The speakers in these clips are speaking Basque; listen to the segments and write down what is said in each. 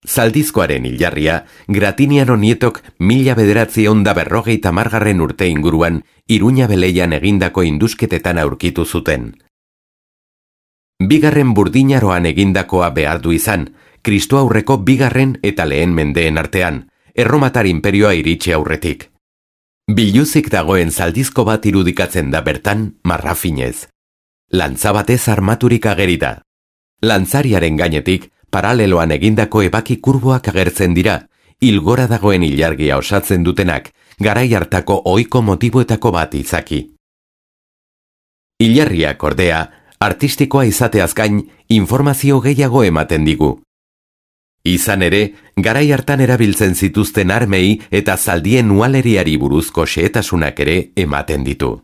Zaldizkoaren hilarria, Gratiniano Nietok 1950 urte inguruan Iruña Beleian egindako indusketetan aurkitu zuten. Bigarren Burdinaroan egindakoa behar du izan, Kristo aurreko bigarren eta lehen mendeen artean, Erromatar inperioa iritsi aurretik. Biluzik dagoen zaldizko bat irudikatzen da bertan, marrafinez. Lantza batez armaturik ageri da. Lantzariaren gainetik, paraleloan egindako ebaki kurboak agertzen dira, hilgora dagoen ilargia osatzen dutenak, garai hartako ohiko motiboetako bat izaki. Ilarriak ordea, artistikoa izateaz gain, informazio gehiago ematen digu. Izan ere, garai hartan erabiltzen zituzten armei eta zaldien ualeriari buruzko xehetasunak ere ematen ditu.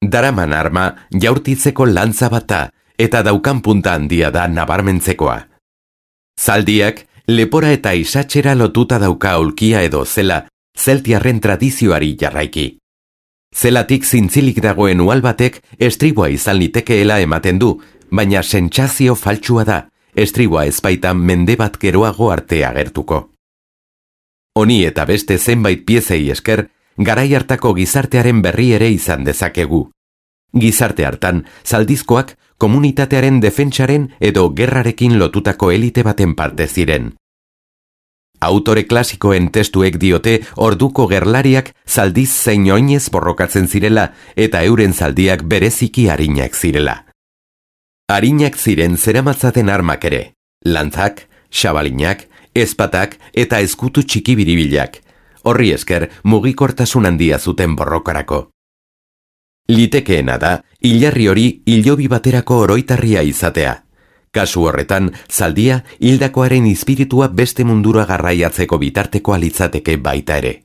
Daraman arma jaurtitzeko lantza bata eta daukan punta handia da nabarmentzekoa. Zaldiak, lepora eta isatxera lotuta dauka aulkia edo zela, zeltiarren tradizioari jarraiki. Zelatik zintzilik dagoen ual batek estriboa izan litekeela ematen du, baina sentsazio faltsua da, estriboa ezbaitan mende bat geroago arte agertuko. Honi eta beste zenbait piezei esker, garai hartako gizartearen berri ere izan dezakegu. Gizarte hartan, zaldizkoak komunitatearen defentsaren edo gerrarekin lotutako elite baten parte ziren. Autore klasikoen testuek diote orduko gerlariak zaldiz zein oinez borrokatzen zirela eta euren zaldiak bereziki arinak zirela. Arinak ziren zeramatzaten armak ere, lantzak, xabalinak, ezpatak eta ezkutu txiki biribilak, horri esker mugikortasun handia zuten borrokarako. Litekeena da, hilarri hori hilobi baterako oroitarria izatea. Kasu horretan, zaldia hildakoaren espiritua beste mundura garraiatzeko bitartekoa litzateke baita ere.